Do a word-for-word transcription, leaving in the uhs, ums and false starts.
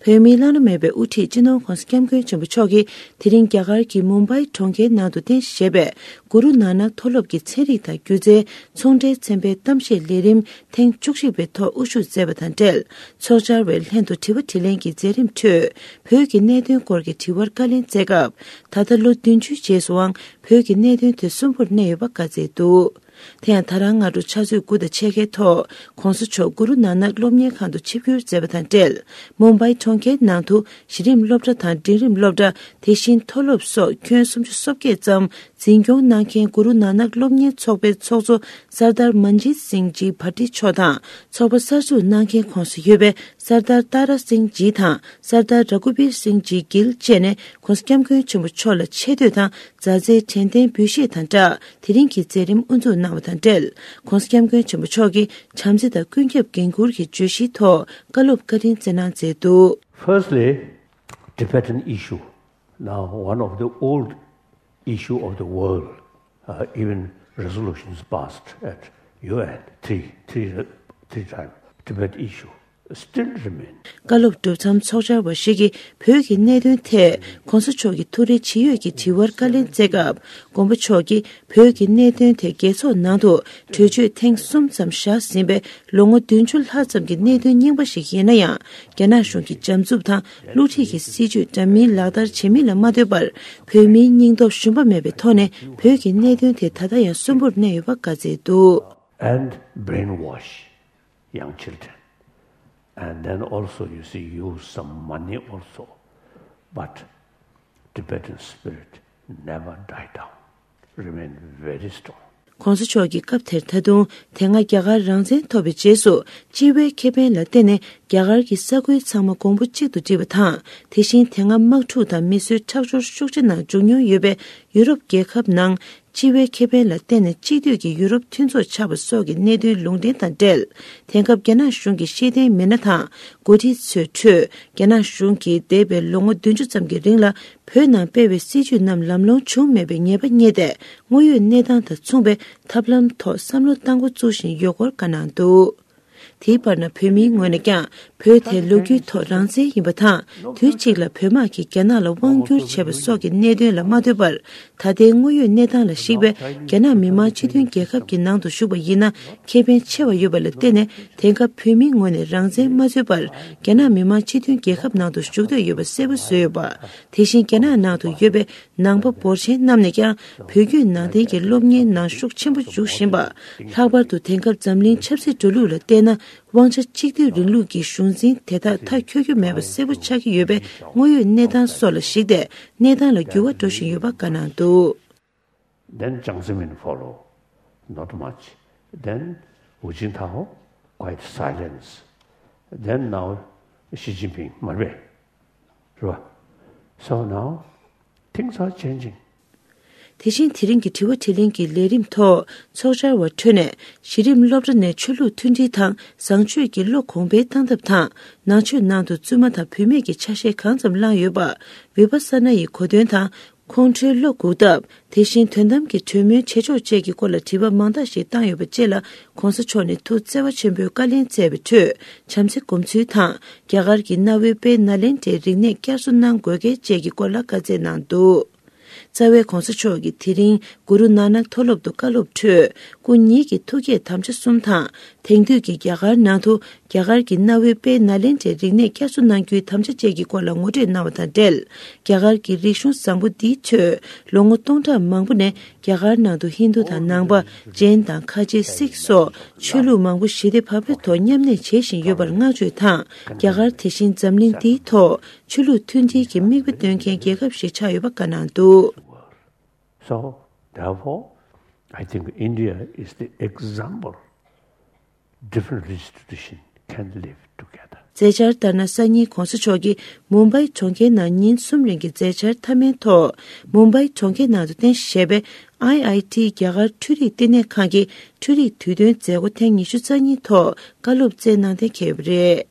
བོད་མིའི་བླ་ན་མེད་པའི་དབུ་ཁྲིད་སྤྱི་ནོར་༸གོང་ས་༸སྐྱབས་མགོན་ཆེན་པོ་མཆོག་གིས་དེ་རིང་རྒྱ་གར་གྱི་མུམ་བྷའི་གྲོང་ཁྱེར་ནང་དུ་རྟེན་གཞི་བྱས་པའི་གུ་རུ་ནཱ་ནག་མཐོ་སློབ་ཀྱི་ཚན་རིག་དང་སྒྱུ་རྩལ་ཚོང་འབྲེལ་ཚན་པའི་གཏམ་བཤད་ལས་རིམ་ཐེངས་བཅུ་གཅིག་པའི་ཐོག་དབུ་བཞུགས་མཛད་པ་དང་འབྲེལ། ཚོགས་བཅར་བའི་ལྷན་དུ་དྲི་བ་དྲིས་ལན་གྱི་མཛད་རིམ་ཁྲོད། བོད་ཀྱི་གནད་དོན་སྐོར་གྱི་དྲི་བར་བཀའ་ལན་སྩལ་སྐབས། ད་ལྟ་ལོ་བདུན་ཅུའི་རྗེས་སུའང་བོད་ཀྱི་གནད་དོན་དེ་གསོན་པོར་གནས་ཡོད་པ་བཀའ་སྩལ་འདུག་དེ་ཡང་ད་རང་སྔ་དྲོ་ཕྱག་ཚོད་དགུ་དང་ཕྱེད་ཀའི་ཐོག་༸གོང་ས་མཆོག་གུ་རུ་ནཱ་ནག་སློབ་གཉེར་ཁང་དུ་ཆིབས་བསྒྱུར་མཛད་པ་དང་འབྲེལ། མུམ་བྷའི་གྲོང་ཁྱེར་ནང་དུ་གཞི་རིམ་སློབ་གྲྭ་དང་འབྲིང་རིམ་སློབ་གྲྭ། དེ་བཞིན་མཐོ་སློབ་སོགས་ཁྱོན་སུམ་ཅུ་སོ་བརྒྱད་ཙམ་འཛིན་སྐྱོང་གནང་མཁན་གུ་རུ་ནཱ་ནག་སློབ་གཉེར་ཚོགས་པའི་ཚོགས་གཙོ་སར་དར་མན་ཇིད་སིང་ཇི་བྷ་ཏི་མཆོག་དང་། ཚོགས་པ་གསར་འཛུགས་གནང་མཁན་ཁོངས་སུ་ཡོད་པའི་སར་དར་ཏཱ་ར་སིང་ཇི་དང་སར་དར་ར་གུ་བིར་སིང་ཇི་གིལ་བཅས་ནས་༸གོང་ས་༸སྐྱབས་མགོན་ཆེན་པོ་མཆོག་ལ་ཆེ་བསྟོད་དང་མཛའ་བརྩེའི་དྲན་རྟེན་འབུལ་བཞེས་དང་སྦྲགས། དེ་རིང་གི་མཛད་རིམ་དབུ་འཛུགས་གནང་བ་དང་འབྲེལ། ༸གོང་ས་༸སྐྱབས་མགོན་ཆེན་པོ་མཆོག་གིས་བྱམས་བརྩེ་དང་ཀུན་ཁྱབ་འགན་འཁུར་གྱི་བརྗོད་གཞིའི་ཐོག་བཀའ་སློབ་བཀའ་དྲིན་སྩལ་གནང་མཛད་འདུག Firstly, Tibetan issue, now one of the old issue of the world, uh, even resolutions passed at U N three, three, three times. Tibet issue still remain. བཀའ་སློབ་གྲུབ་མཚམས་ཚོགས་བཅར་བ་ཞིག་གིས་བོད་ཀྱི་གནད་དོན་ཐད་༸གོང་ས་མཆོག་གི་ཐུགས་རེ་ཇི་ཡོད་ཀྱི་དྲི་བར་བཀའ་ལན་སྩལ་སྐབས། མགོན་པོ་མཆོག་གིས་བོད་ཀྱི་གནད་དོན་དེ་རྒྱལ་ཚོགས་ནང་དུ་གྲོས་ཆོད་ཐེངས་གསུམ་ཙམ་བཞག་ཟིན་པའི་ལོ་ངོ་བདུན་ཅུ་ལྷག་ཙམ་གྱི་གནད་དོན་རྙིང་པ་ཞིག་ཡིན་ན་ཡང་། རྒྱ་ནག་གཞུང་གི་བྱམས་བརྩེ་དང་བསླུ་བྲིད་ཀྱི་སྲིད་བྱུས་འདྲ་མིན་ལག་བསྟར་བྱེད་མིན་ལ་མ་ལྟོས་པར། བོད་མིའི་སྙིང་སྟོབས་ཞུམ་པ་མེད་པའི་ཐོག་ནས་བོད་ཀྱི་གནད་དོན་དེ་ད་ལྟ་ཡང་གསོན་པོར་གནས་ཡོད་པ་བཀའ་སྩལ་འདུག And brainwash young children. And then also, you see, use some money also. But Tibetan spirit never die down, remain very strong. ༸གོང་ས་མཆོག་གིས་སྐབས་དེར་ད་དུང་དེ་སྔ་རྒྱ་གར་རང་བཙན་ཐོབ་པའི་རྗེས་སུ་སྤྱི་བའི་ཁེ་ཕན་ལ་བརྟེན་ནས་རྒྱ་གར་གྱི་ས་ཁུལ་ཚང་མ་གོང་བུ་གཅིག་ཏུ་བསྒྲིལ་བ་དང་། དེ་བཞིན་དེ་སྔ་དམག་འཁྲུག་དང་མི་གསོད་ཁྲག་སྦྱོར་ཤུགས་ཆེ་ནང་འཇུག་མྱོང་ཡོད་པའི་ཡུ་རོབ་རྒྱལ་ཁབ་ནང་སྤྱི་བའི་ཁེ་ཕན་ལ་བརྟེན་ནས་གཅིག་སྡུད་ཀྱི་ཡུ་རོབ་མཐུན་ཚོགས་ཆགས་པ་སོགས་ཀྱི་གནད་དོན་ལུང་འདྲེན་དང་འབྲེལ། དེང་སྐབས་རྒྱ་ནག་གཞུང་གི་ཤེས་ལྡན་མི་སྣ་དང་འགོ་ཁྲིད་ཚོའི་ཁྲོད། རྒྱ་ནག་གཞུང་གིས་འདས་པའི་ལོ་ངོ་བདུན་ཅུ་ཙམ་གྱི་རིང་ལ་བོད་ནང་སྤེལ་བའི་སྲིད་བྱུས་རྣམས་ལམ་ལྷོང་བྱུང་མེད་པའི་ངེས་པ་རྙེད་དེ། དངོས་ཡོད་གནས་སྟངས་དང་མཚུངས་པའི་ཐབས་ལམ་ཐོག་བསམ་བློ་གཏང་འགོ་བཙུགས་བཞིན་ཡོད་སྐོར་བཀའ་གནང་འདུག་དེའི་བར་ན་བོད་མིའི་ངོས་ནས་ཀྱང་བོད་དེ་ལོ་རྒྱུས་ཐོག་རང་བཙན་ཡིན་པ་དང་། དུས་གཅིག་ལ་བོད་དམག་གིས་རྒྱ་ནག་ལ་དབང་བསྒྱུར་བྱས་པ་སོགས་ཀྱི་གནད་དོན་ལ་མ་ལྟོས་པར། ད་ལྟའི་དངོས་ཡོད་གནས་སྟངས་ལ་གཞིགས་པའི་རྒྱ་ནག་མི་དམངས་སྤྱི་མཐུན་རྒྱལ་ཁབ་ཀྱི་ནང་དུ་བཞུགས་པ་ཡིན་ན་ཁེ་ཕན་ཆེ་བ་ཡོད་པ་ལ་བརྟེན་ནས། དེང་སྐབས་བོད་མིའི་ངོས་ནས་རང་བཙན་མ་འཛུལ་བར་རྒྱ་ནག་མི་དམངས་སྤྱི་མཐུན་རྒྱལ་ཁབ་ནང་དུ་བཞུགས་འདོད་ཡོད་པ་གསལ་པོ་བཟོས་ཡོད་པ། དེ་བཞིན་རྒྱ་ནག་ནང་དུ་ཡོད་པའི་ནང་པ་འབོར་ཆེན་རྣམས་ནས་ཀྱང་བོད་བརྒྱུད་ནང་བསྟན་གྱི་སློབ་གཉེར་ནང་ཤུགས་ཆེན་པོ་འཇུག་བཞིན་པ། ལྷག་པར་དུ་དེང་སྐབས་འཛམ་གླིང་ཆབ་སྲིད་འགྲོ་ལུགས་ལ་བལྟས་ན། དབང་ཆ་གཅིག་སྡུད་རིང་ལུགས་ཀྱི་གཞུང་འཛིན་དེ་དག་མཐའ་འཁྱོལ་རྒྱུ་མེད་པ་གསལ་པོ་ཆགས་ཀྱི་ཡོད་པས། དངོས་ཡོད་གནས་སྟངས་སོགས་ལ་གཞིགས་ཏེ་གནས་སྟངས་ལ་འགྱུར་བ་འགྲོ་བཞིན་ཡོད་པ་བཀའ་གནང་འདུག Then Jiang Zemin follow, not much. Then Hu Jintao, quite silence. Then now Xi Jinping, མ་རེད་པས། རེད་པ། So now things are changing. དེ་བཞིན་དེ་རིང་གི་དྲི་བ་དྲིས་ལན་གྱི་ལས་རིམ་ཐོག་ཚོགས་བཅར་བ་ཁྲོད་ནས་གཞི་རིམ་སློབ་གྲྭ་ནས་ཆོས་ལུགས་མཐུན་སྒྲིལ་དང་བཟང་སྤྱོད་ཀྱི་བློ་གོང་འཕེལ་གཏང་ཐབས་དང་། ནང་ཆོས་ནང་དུ་བཙུན་མ་དང་བུད་མེད་ཀྱི་ཆ་ཤས་གང་ཙམ་བླངས་ཡོད་པ། བི་པ་ས་ན་ཡི་གོ་དོན་དང་། ཁོང་ཁྲོའི་བློ་འགུག་ཐབས། དེ་བཞིན་དོན་དམ་གྱི་གྲོས་མོལ་བྱེད་ཕྱོགས་བཅས་ཀྱི་སྐོར་ལ་དྲི་བ་མང་དག་ཞིག་བཏང་ཡོད་པ་བཅས་ལ་༸གོང་ས་མཆོག་ནས་ཐུགས་བརྩེ་བ་ཆེན་པོས་བཀའ་ལན་སྩལ་བའི་ཁྲོད། བྱམས་བརྩེ་སྒོམ་ཚུལ་དང་། རྒྱ་གར་གྱི་གནའ་བོའི་དཔལ་ནཱ་ལེནྡྲའི་རིག་གནས་བསྐྱར་གསོ་གནང་དགོས་གལ་བཅས་ཀྱི་སྐོར་ལ་བཀའ་སྩལ་གནང་འདུག་རྩ་བའི་༸གོང་ས་མཆོག་གིས་དེ་རིང་གུ་རུ་ནཱ་ནག་མཐོ་སློབ་ཏུ་བཀའ་སློབ་ཁྲོད། སྐུ་ཉིད་ཀྱི་ཐུགས་བསྐྱེད་དམ་བཅའ་གསུམ་དང་། དེང་དུས་ཀྱི་རྒྱ་གར་ནང་དུ་རྒྱ་གར་གྱི་གནའ་བོའི་དཔལ་ནཱ་ལེནྡྲའི་རིག་གནས་བསྐྱར་གསོ་གནང་རྒྱུའི་དམ་བཅའ་བཅས་ཀྱི་སྐོར་ལ་ངོ་སྤྲོད་གནང་བ་དང་འབྲེལ། རྒྱ་གར་གྱི་རིག་གཞུང་བཟང་པོ་འདིའི་ཁྲོད་ལོ་ངོ་སྟོང་ཕྲག་མང་པོ་ནས་རྒྱ་གར་ནང་དུ་ཧིན་རྡུ་དང་ནང་པ། ཇེན་དང་ཁ་ཆེ་སིག་སོགས་ཆོས་ལུགས་མང་པོ་ཞི་བདེ་བག་ཕེབས་ཐོག་མཉམ་གནས་བྱེད་བཞིན་ཡོད་པར་བསྔགས་བརྗོད་དང་། རྒྱ་གར་དེ་བཞིན་འཛམ་གླིང་འདིའི་ཐོག་ཆོས་ལུགས་མཐུན་སྒྲིལ་གྱི་མིག་དཔེ་སྟོན་མཁན་རྒྱལ་ཁབ་ཞིག་ཆགས་ཡོད་པ་བཀའ་གནང་འདུག So, therefore, I think India is the example. Different religious tradition can live together. མཛད་འཆར་ལྟར་ན། སང་ཉིན་༸གོང་ས་མཆོག་གིས་མུམ་བྷའི་གྲོང་ཁྱེར་ནང་ཉིན་གསུམ་རིང་གི་མཛད་འཆར་མཐའ་མའི་ཐོག་མུམ་བྷའི་གྲོང་ཁྱེར་ནང་དུ་རྟེན་གཞི་བྱས་པའི་ཨའི་ཨའི་ཊི་རྒྱ་གར་འཕྲུལ་རིག་བསྟི་གནས་ཁང་གི་འཕྲུལ་རིག་དུས་སྟོན་མཛད་སྒོ་ཐེངས་ཉི་ཤུ་རྩ་གཉིས་ཐོག་བཀའ་སློབ་སྩལ་གནང་གཏན་འཁེལ་བ་རེད།